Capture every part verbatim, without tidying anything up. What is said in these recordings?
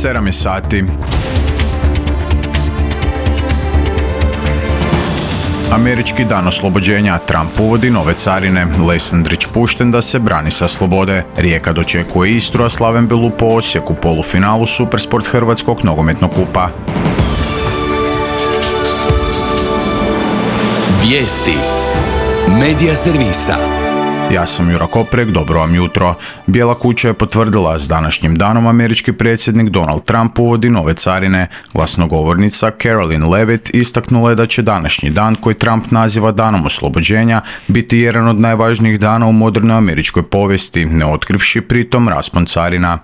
sedam je sati. Američki dan oslobođenja, Trump uvodi nove carine, Lesandrić pušten da se brani sa slobode, Rijeka dočekuje Istru, a Slaven Belupo Osijek u polufinalu Supersport Hrvatskog nogometnog kupa. Vijesti Medija servisa. Ja sam Jura Koprek, dobro vam jutro. Bijela kuća je potvrdila s današnjim danom američki predsjednik Donald Trump uvodi nove carine. Glasnogovornica Caroline Levitt istaknula je da će današnji dan, koji Trump naziva danom oslobođenja, biti jedan od najvažnijih dana u modernoj američkoj povijesti, ne otkrivši pritom raspon carina.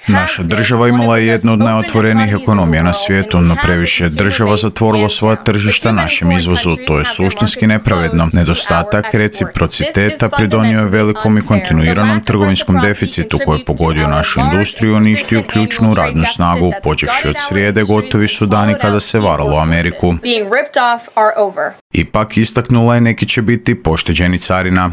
Naša država imala je jednu od najotvorenijih ekonomija na svijetu, no previše država zatvorilo svoja tržišta našem izvozu. To je suštinski nepravedno. Nedostatak reciprociteta pridonio je velikom i kontinuiranom trgovinskom deficitu koji je pogodio našu industriju i uništio ključnu radnu snagu. Počevši od srijede, gotovi su dani kada se varalo Ameriku. Ipak, istaknula je, neki će biti pošteđeni carina.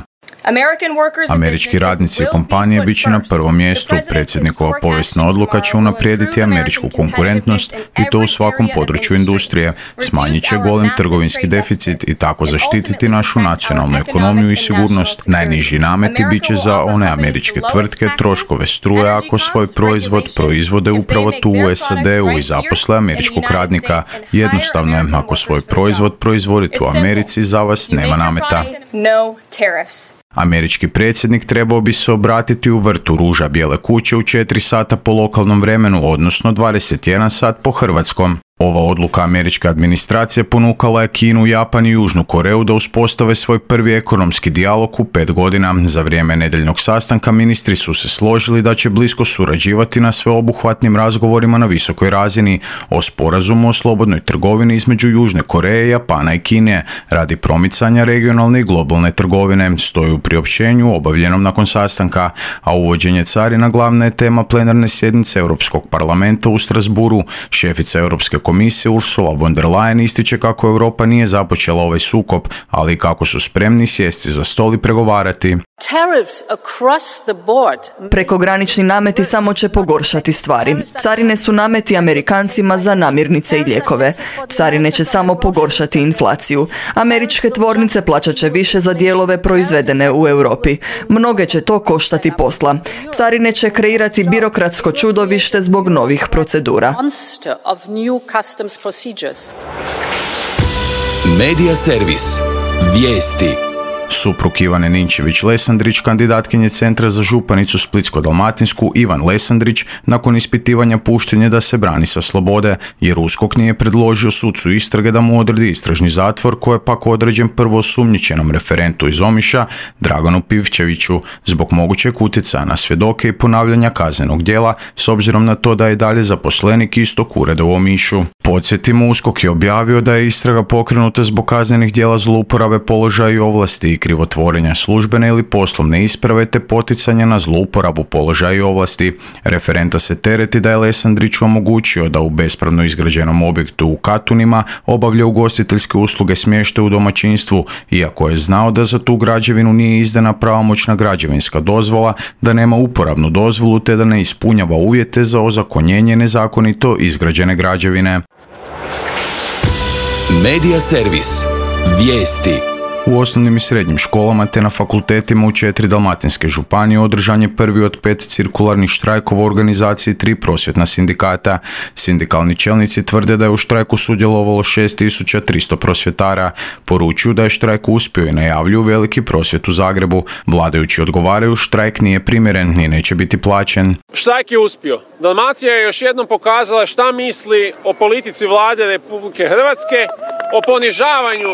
Američki radnici i kompanije bit će na prvom mjestu. Predsjednikova povijesna odluka će unaprijediti američku konkurentnost i to u svakom području industrije. Smanjit će golem trgovinski deficit i tako zaštititi našu nacionalnu ekonomiju i sigurnost. Najniži nameti bit će za one američke tvrtke troškove struje ako svoj proizvod proizvode upravo tu u S A D-u i zaposle američkog radnika. Jednostavno je, ako svoj proizvod proizvodite u Americi, za vas nema nameta. Američki predsjednik trebao bi se obratiti u vrtu ruža Bijele kuće u četiri sata po lokalnom vremenu, odnosno dvadeset jedan sat po hrvatskom. Ova odluka američke administracije ponukala je Kinu, Japan i Južnu Koreju da uspostave svoj prvi ekonomski dijalog u pet godina. Za vrijeme nedjeljnog sastanka ministri su se složili da će blisko surađivati na sveobuhvatnim razgovorima na visokoj razini o sporazumu o slobodnoj trgovini između Južne Koreje, Japana i Kine radi promicanja regionalne i globalne trgovine, stoji u priopćenju obavljenom nakon sastanka, a uvođenje carina glavna je tema plenarne sjednice Europskog parlamenta u Strasburu. Šefica Europske komisije Ursula von der Leyen ističe kako Europa nije započela ovaj sukob, ali kako su spremni sjesti za stol i pregovarati. Prekogranični nameti samo će pogoršati stvari. Carine su nameti Amerikancima za namirnice i lijekove. Carine će samo pogoršati inflaciju. Američke tvornice plaćat će više za dijelove proizvedene u Europi. Mnoge će to koštati posla. Carine će kreirati birokratsko čudovište zbog novih procedura. Medija servis. Vijesti. Suprug Ivane Ninčević-Lesandrić, kandidatkinje Centra za županicu Splitsko-dalmatinsku, Ivan Lesandrić, nakon ispitivanja pušten je da se brani sa slobode, jer USKOK nije predložio sucu istrage da mu odredi istražni zatvor, koji je pak određen prvo osumnjičenom referentu iz Omiša, Draganu Pivčeviću, zbog mogućeg utjecaja na svjedoke i ponavljanja kaznenog djela, s obzirom na to da je dalje zaposlenik istog ureda u Omišu. Podsjetimo, USKOK je objavio da je istraga pokrenuta zbog kaznenih djela zlouporabe položaja i ovlasti i krivotvorenja službene ili poslovne isprave te poticanja na zlouporabu položaja i ovlasti. Referenta se tereti da je Lesandrić omogućio da u bespravno izgrađenom objektu u Katunima obavlja ugostiteljske usluge smještaja u domaćinstvu, iako je znao da za tu građevinu nije izdana pravomoćna građevinska dozvola, da nema uporabnu dozvolu te da ne ispunjava uvjete za ozakonjenje nezakonito izgrađene građevine. Medija servis. Vijesti. U osnovnim i srednjim školama te na fakultetima u četiri dalmatinske županije održan je prvi od pet cirkularnih štrajkova u organizaciji tri prosvjetna sindikata. Sindikalni čelnici tvrde da je u štrajku sudjelovalo šest tisuća tristo prosvjetara. Poručuju da je štrajk uspio i najavljuju veliki prosvjet u Zagrebu. Vladajući odgovaraju, štrajk nije primjeren i neće biti plaćen. Štrajk je uspio. Dalmacija je još jednom pokazala šta misli o politici vlade Republike Hrvatske, o ponižavanju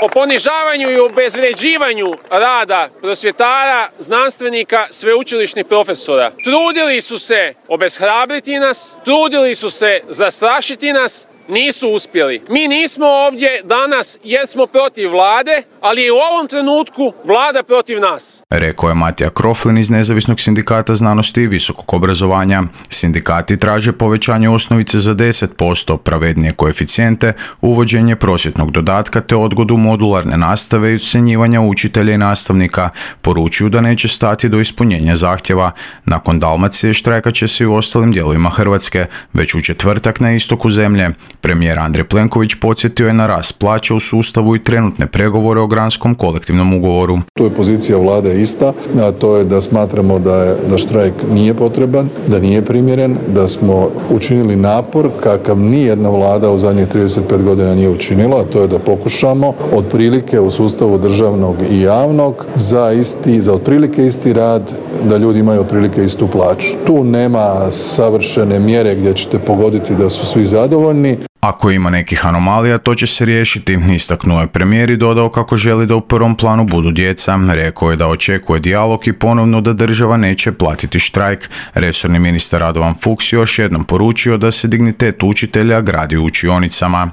o ponižavanju i obezvređivanju rada prosvjetara, znanstvenika, sveučilišnih profesora. Trudili su se obeshrabriti nas, trudili su se zastrašiti nas nisu uspjeli. Mi nismo ovdje danas jer smo protiv vlade, ali je u ovom trenutku vlada protiv nas. Rekao je Matija Kroflin iz Nezavisnog sindikata znanosti i visokog obrazovanja. Sindikati traže povećanje osnovice za deset posto, pravednije koeficijente, uvođenje prosvjetnog dodatka te odgodu modularne nastave i ucjenjivanja učitelja i nastavnika. Poručuju da neće stati do ispunjenja zahtjeva. Nakon Dalmacije štrajkat će se i u ostalim dijelovima Hrvatske, već u četvrtak na istoku zemlje. Premijer Andrej Plenković podsjetio je na rast plaća u sustavu i trenutne pregovore o granskom kolektivnom ugovoru. Tu je pozicija vlade ista, a to je da smatramo da, je, da štrajk nije potreban, da nije primjeren, da smo učinili napor kakav nijedna vlada u zadnjih trideset pet godina nije učinila, a to je da pokušamo otprilike u sustavu državnog i javnog za isti, za otprilike isti rad, da ljudi imaju otprilike istu plaću. Tu nema savršene mjere gdje ćete pogoditi da su svi zadovoljni. Ako ima nekih anomalija, to će se riješiti, istaknuo je premijer i dodao kako želi da u prvom planu budu djeca. Rekao je da očekuje dijalog i ponovno da država neće platiti štrajk. Resorni ministar Radovan Fuchs još jednom poručio da se dignitet učitelja gradi u učionicama.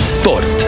Sport.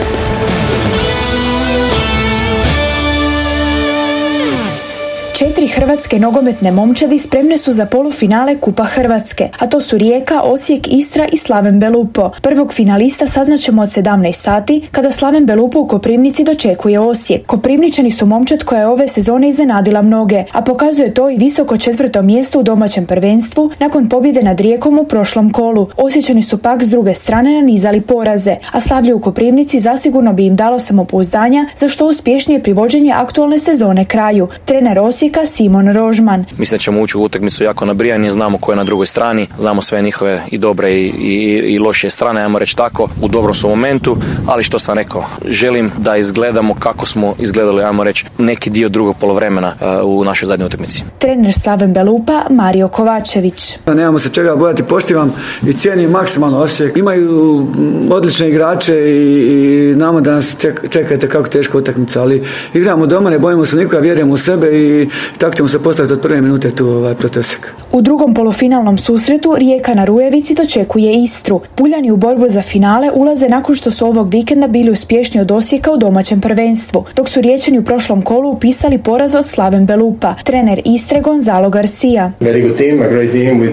Četiri hrvatske nogometne momčadi spremne su za polufinale Kupa Hrvatske, a to su Rijeka, Osijek, Istra i Slaven Belupo. Prvog finalista saznaćemo od sedamnaest sati kada Slaven Belupo u Koprivnici dočekuje Osijek. Koprivničani su momčad koja je ove sezone iznenadila mnoge, a pokazuje to i visoko četvrto mjesto u domaćem prvenstvu nakon pobjede nad Rijekom u prošlom kolu. Osječani su pak s druge strane nanizali poraze, a slavlje u Koprivnici zasigurno bi im dalo samopouzdanja za što uspješnije privođenje aktualne sezone kraju. Trener Osijek Simon Rožman. Mislim da ćemo ući u utakmicu jako nabrijani, znamo ko je na drugoj strani, znamo sve njihove i dobre i, i, i loše strane, ajmo reći tako, u dobrom su momentu, ali što sam rekao, želim da izgledamo kako smo izgledali, ajmo reći, neki dio drugog polovremena uh, u našoj zadnjoj utakmici. Trener Slaven Belupa Mario Kovačević. Nemamo se čega bojati, poštivam i cijenim maksimalno Osijek. Imaju odlične igrače i, i znamo da nas ček, čekajte kako teška utakmica, ali igramo doma, ne bojimo se nikoga, vjerujemo u sebe i tako ćemo se postaviti od prve minute tu ovaj, protiv Osijeka. U drugom polufinalnom susretu Rijeka na Rujevici dočekuje Istru. Puljani u borbu za finale ulaze nakon što su ovog vikenda bili uspješni od Osijeka u domaćem prvenstvu, dok su Riječani u prošlom kolu upisali poraz od Slaven Belupa. Trener Istre Gonzalo Garcia.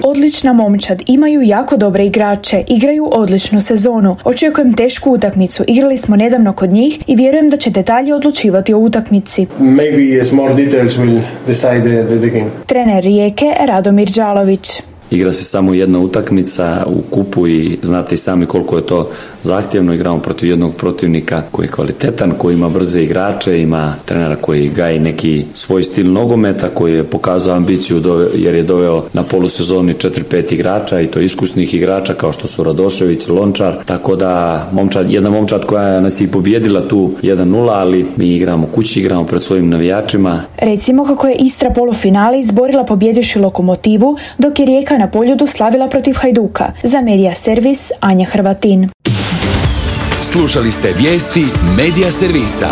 Odlična momčad, imaju jako dobre igrače, igraju odličnu sezonu. Očekujem tešku utakmicu, igrali smo nedavno kod njih i vjerujem da će detalje odlučivati o utakmici. Trener Rijeke Radomir Đalović. Igra se samo jedna utakmica u kupu i znate i sami koliko je to zahtjevno. Igramo protiv jednog protivnika koji je kvalitetan, koji ima brze igrače, ima trenera koji gaji neki svoj stil nogometa, koji je pokazao ambiciju jer je doveo na polusezoni četiri pet igrača i to iskusnih igrača kao što su Radošević, Lončar, tako da momčad, jedna momčad koja nas je pobjedila tu jedan nula, ali mi igramo kući, igramo pred svojim navijačima. Recimo kako je Istra polufinale izborila pobjedivši Lokomotivu, dok je Rijeka na Poljudu slavila protiv Hajduka. Za Medija Servis Anja Hrvatin. Slušali ste vijesti Medija Servisa.